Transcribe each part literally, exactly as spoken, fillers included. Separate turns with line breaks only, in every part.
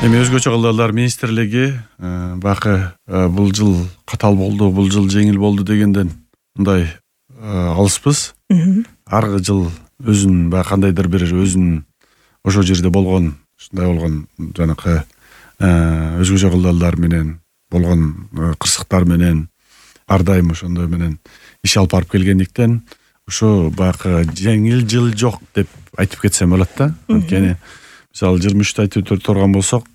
Эми өзгөчө кылдалар министрлиги бакы бул жыл катал болду, бул жыл жеңил болду дегенден мындай алыспыз. Аркы жыл өзүнүн баягы кандайдыр бир өзүнүн ошол жерде болгон, ушундай болгон жанакы өзгөчө кылдалар менен болгон кырсыктар менен ар дайым ошондой менен иш алып барып келгендиктен ошо баягы жеңил жыл жок деп айтып кетсем болот да. Анткени мисалы жыйырма үчтү айтып турган болсок,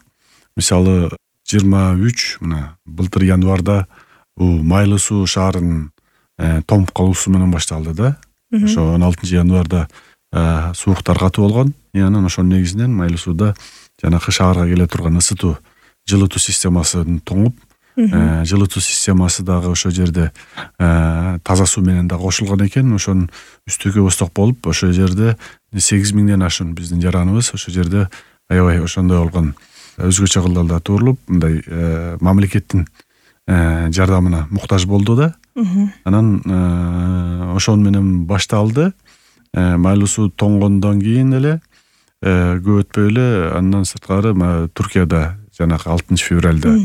мисалы жыйырма үч мына былтыр январда бул Майлуу суу шаарынын томуп калуусу менен башталды да. Ошо он алтынчы январда сууктар катуу болгон. И анан ошонун негизинен Майлуу сууда жанакы шаарга келе турган ысытуу, жылытуу системасын тоңуп, жылытуу системасы дагы ошол жерде таза суу менен да кошулган экен. Ошонун үстүгө устук болуп, ошол жерде сегиз миңден ашуун биздин жараныбыз ошол жерде аябай ошондой болгон өзгөчө кылдалда турулуп, мындай мамлекеттин жардамына муктаж болду да. Анан ошон менен башталды. Майлуу суу тоңгондон кийин эле көп өтпөй эле андан сырткары Туркияда жанагы алтынчы февралда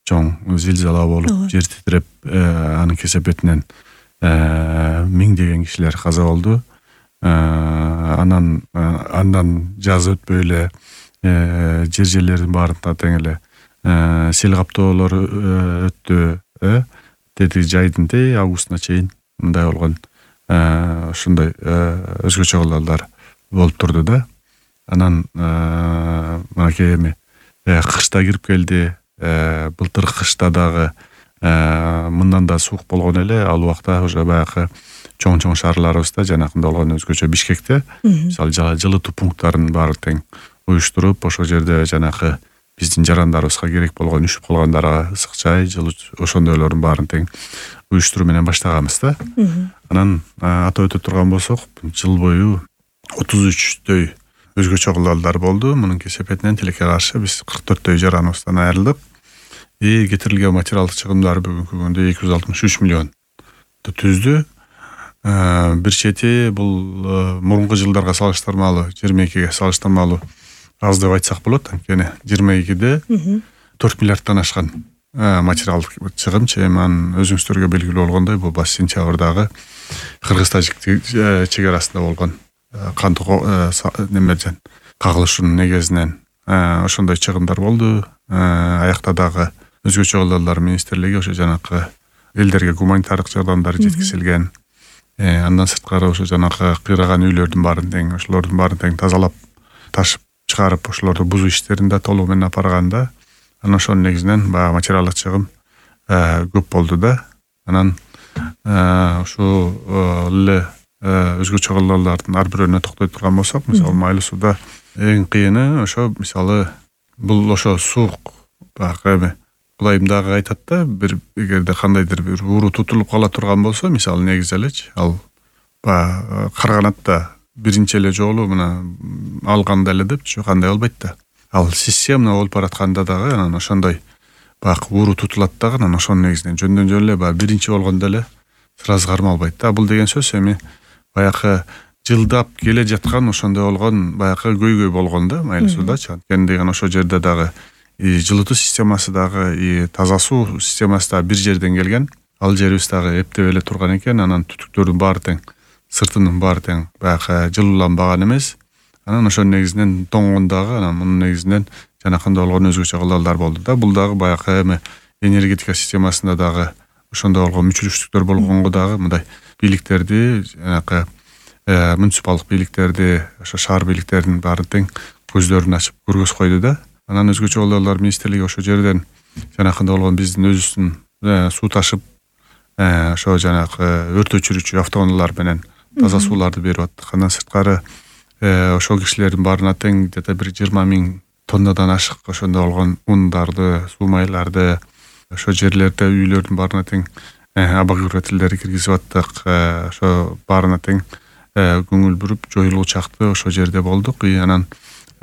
чоң зилзала болуп, жер титиреп, анын кесепетинен миңдеген кишилер каза болду. Анан андан жаз өтпөй эле жер жерлердин баарында тең эле сел каптоолор өттү. Тети жайдын тээ августуна чейин мындай болгон ушундай өзгөчө кылдалдар болуп турду да. Анан мынакей эми кышта кирип келди. Былтыр кышта дагы мындан да суук болгон эле. Ал убакта уже баягы чоң-чоң шаарларыбызда жанакында болгон өзгөчө Бишкекте мисалы жылытуу пункттарын баары тең уюштуруп, ошол жерде жанакы биздин жарандарыбызга керек болгон үшүп калгандарга ысык чай, жылуу ошондойлордун баарын тең уюштуруу менен баштаганбыз да. Анан атап өтө турган болсок, жыл бою отуз үчтөй өзгөчө кылдалдар болду. Мунун кесепетинен тилекке каршы биз кырк төрттөй жараныбыздан айрылдык. И кетирилген материалдык чыгымдар бүгүнкү күндө эки жүз алтымыш үч миллион түздү. Бир чети бул мурунку жылдарга салыштырмалуу, жыйырма экиге салыштырмалуу аз деп айтсак болот. Анткени жыйырма экиде төрт миллиарддан ашкан материалдык чыгым. Эми өзүңүздөргө белгилүү болгондой, бул баш сентябрдагы Кыргыз-Тажик чек арасында болгон кантуу немеден кагылышуунун негизинен ошондой чыгымдар болду. Аякта дагы өзгөчө кылдалар министрлиги ошо жанакы элдерге гуманитардык жардамдар жеткизилген. Андан сырткары ошо жанакы кыйраган үйлөрдүн баарын тең, ошолордун баарын тең тазалап, ташып чыгарып, ошолорду бузуу иштерин да толугу менен апарганда, анан ошонун негизинен баягы материалдык чыгым көп болду да. Анан ошол эле өзгөчө кылдалдардын ар бирөөнө токтой турган болсок, мисалы Майлуу сууда эң кыйыны ошо мисалы бул ошо суук баягы эми Кудайым дагы айтат да, бир эгерде кандайдыр бир ууру тутулуп кала турган болсо, мисалы негизи элечи, ал баягы Карганатта биринчи эле жолу мына алганда эле депчи кандай болбойт да. Ал системно болуп баратканда дагы анан ошондой баягы ууру тутулат дагы, анан ошонун негизинен жөндөн жөн эле баягы биринчи болгондо эле сразу кармалбайт да. Бул деген сөз эми баягы жылдап келе жаткан ошондой болгон баягы көйгөй болгон да Майлуу суудачы. Анткени деген ошол жерде дагы жылытуу системасы дагы, и таза суу системасы дагы бир жерден келген. Ал жерибиз дагы эптеп эле турган экен. Анан түтүктөрдүн баары тең, сыртынын баары тең баягы жылууланбаган эмес. Анан ошонун негизинен тоңгон дагы, анан мунун негизинен жанакындай болгон өзгөчө кылдалдар болду да. Бул дагы баягы эми энергетика системасында дагы ошондой болгон мүчүлүштүктөр болгонго дагы мындай бийликтерди, жанакы муниципалдык бийликтерди, ошо шаар бийликтеринин баары тең көздөрүн ачып көргөз койду да. Анан өзгөчө кылдалар министрлиги ошо жерден жанакындай болгон биздин өзүбүздүн суу ташып, ошо жанакы өрт өчүрүүчү автоунаалар менен таза сууларды берип аттык. Андан сырткары ошол кишилердин баарына тең где-то бир жыйырма миң тоннадан ашык ошондой болгон ундарды, суу майларды ошо жерлерде үйлөрдүн баарына тең обогревательдерди киргизип аттык. Ошо баарына тең көңүл буруп жоюлуу чакты ошол жерде болдук. И анан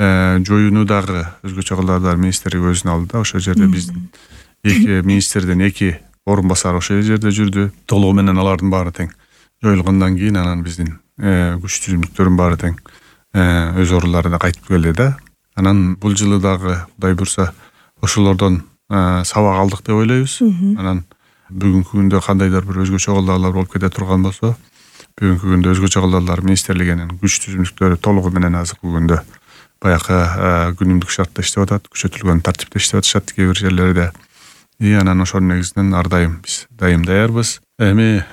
жоюуну дагы өзгөчө кылдалар министрлиги өзүнө алды да. Ошол жерде биздин эки министрден эки орун басар ошол жерде жүрдү. Толугу менен алардын баары тең жоюлгандан кийин анан биздин күч түзүмдүктөрдүн баары тең өз орундарына кайтып келди да. Анан бул жылы дагы Кудай буйрса ошолордон сабак алдык деп ойлойбуз. Анан бүгүнкү күндө кандайдыр бир өзгөчө колдоолор болуп кете турган болсо, бүгүнкү күндө өзгөчө колдоолор министрлигинин күч түзүмдүктөрү толугу менен азыркы күндө баягы күнүмдүк шартта иштеп атат, күчөтүлгөн тартипте иштеп атышат кээ бир жерлерде. И анан ошонун негизинен ар дайым биз дайым даярбыз. Эми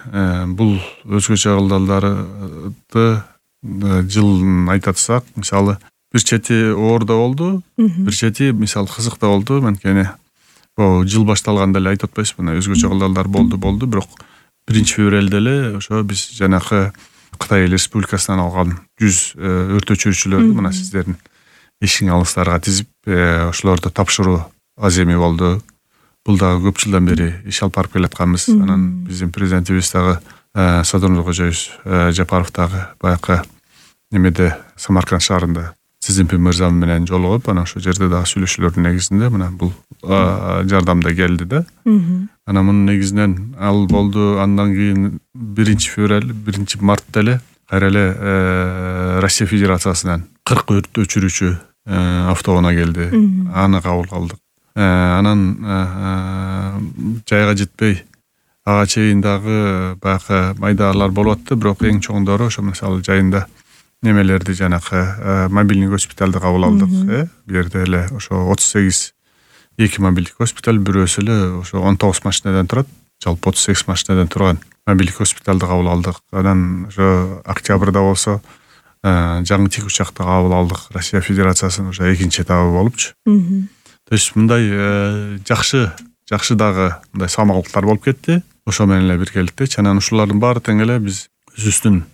бул өзгөчө колдоолорду жылын айта атсак, мисалы бир чети оордо болду, бир чети мисалы кызык да болду. Анткени бул жыл башталганда эле айтып атпайбызбы, мына өзгөчө колдоолор болду болду, бирок биринчи февралда эле ошо биз жанакы Кытай Эл Республикасынан алган жүз өрт өчүрүүчүлөрдү мына сиздердин эшиң алыңыздарга тизип ошолорду тапшыруу аземи болду. Бул дагы көп жылдан бери иш алып барып келатканбыз. Анан биздин президентибиз дагы Садыр кожоюбуз Жапаров дагы баягы немеде Самарканд шаарында Си Цзиньпин мырза менен жолугуп, анан ошол жерде дагы сүйлөшүүлөрдүн негизинде мына бул жардам да келди да. Анан мунун негизинен ал болду. Андан кийин биринчи февраль, биринчи мартта эле кайра эле Россия Федерациясынан кырк өрт өчүрүүчү автоунаа келди. Аны кабыл кылдык. Анан жайга жетпей ага чейин дагы баягы майдалар болуп атты, бирок эң чоңдору ошо мисалы жайында немелерди жанакы мобилдик госпиталды кабыл алдык. Бул жерде эле ошо отуз сегиз эки мобилдик госпиталь, бирөөсү эле ошо он тогуз машинадан турат. Жалпы отуз сегиз машинадан турган мобилдик госпиталды кабыл алдык. Анан ошо октябрда болсо жаңы тикучакты кабыл алдык. Россия Федерациясынын ошо экинчи этабы болупчу. То есть мындай жакшы жакшы дагы мындай самалдыктар болуп кетти. Ошо менен эле биргеликте анан ушулардын баары тең эле биз өзүбүздүн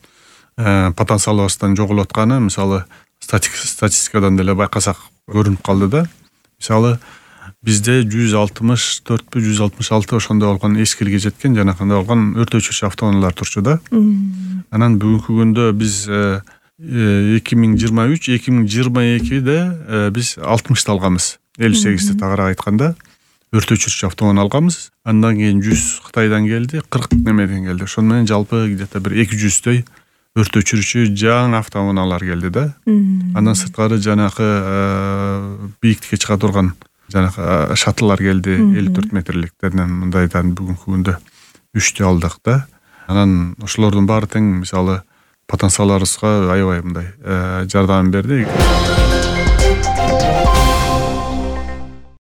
потенциалыбыздан жоголуп атканы мисалы статистикадан деле байкасак көрүнүп калды да. Мисалы бизде жүз алтымыш төртпү жүз алтымыш алты ошондой болгон эскилге жеткен жанакындай болгон өрт өчүрүүчү автоунаалар турчу да. Анан бүгүнкү күндө биз эки миң жыйырма үч эки миң жыйырма экиде биз алтымышты алганбыз. элүү сегизди тагыраак айтканда өрт өчүрүүчү автоунаа алганбыз. Андан кийин жүз Кытайдан келди, кырк немеден келди. Ошону менен жалпы где-то бир эки жүздөй өрт өчүрүүчү жаңы автоунаалар келди да. Андан сырткары жанакы бийиктикке чыга турган жанакы шаттылар келди, элүү төрт метрликтерден мындайдан бүгүнкү күндө үчтү алдык да. Анан ошолордун баары тең мисалы потенциалыбызга аябай мындай жардам берди.